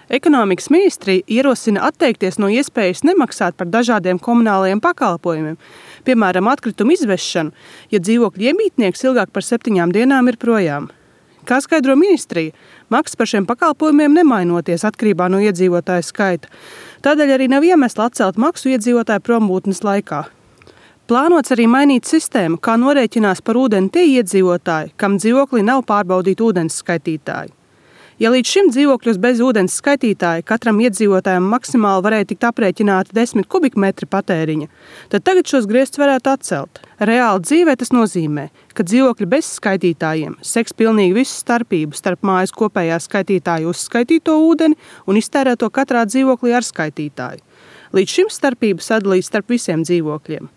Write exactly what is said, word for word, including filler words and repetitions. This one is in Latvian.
Ekonomikas ministrija ierosina atteikties no iespējas nemaksāt par dažādiem komunālajiem pakalpojumiem, piemēram, atkritumu izvešanu, ja dzīvokļa iemītnieks ilgāk par septiņām dienām ir projām. Kā skaidro ministrija, maksas par šiem pakalpojumiem nemainoties atkarībā no iedzīvotāju skaita. Tādēļ arī nav iemesla atcelt maksu iedzīvotāju prombūtnes laikā. Plānots arī mainīt sistēmu, kā norēķinās par ūdeni tie iedzīvotāji, kam dzīvoklī nav pārbaudīti ūdens skaitītāji. Ja līdz šim dzīvokļos bez ūdens skaitītāja katram iedzīvotājam maksimāli varēja tikt aprēķināti desmit kubikmetri patēriņa, tad tagad šos griestus varētu atcelt. Reāli dzīvē tas nozīmē, ka dzīvokļi bez skaitītājiem seks pilnīgi visu starpību starp mājas kopējā skaitītāja uzskaitīto ūdeni un iztērēto katrā dzīvoklī ar skaitītāju. Līdz šim starpību sadalīs starp visiem dzīvokļiem.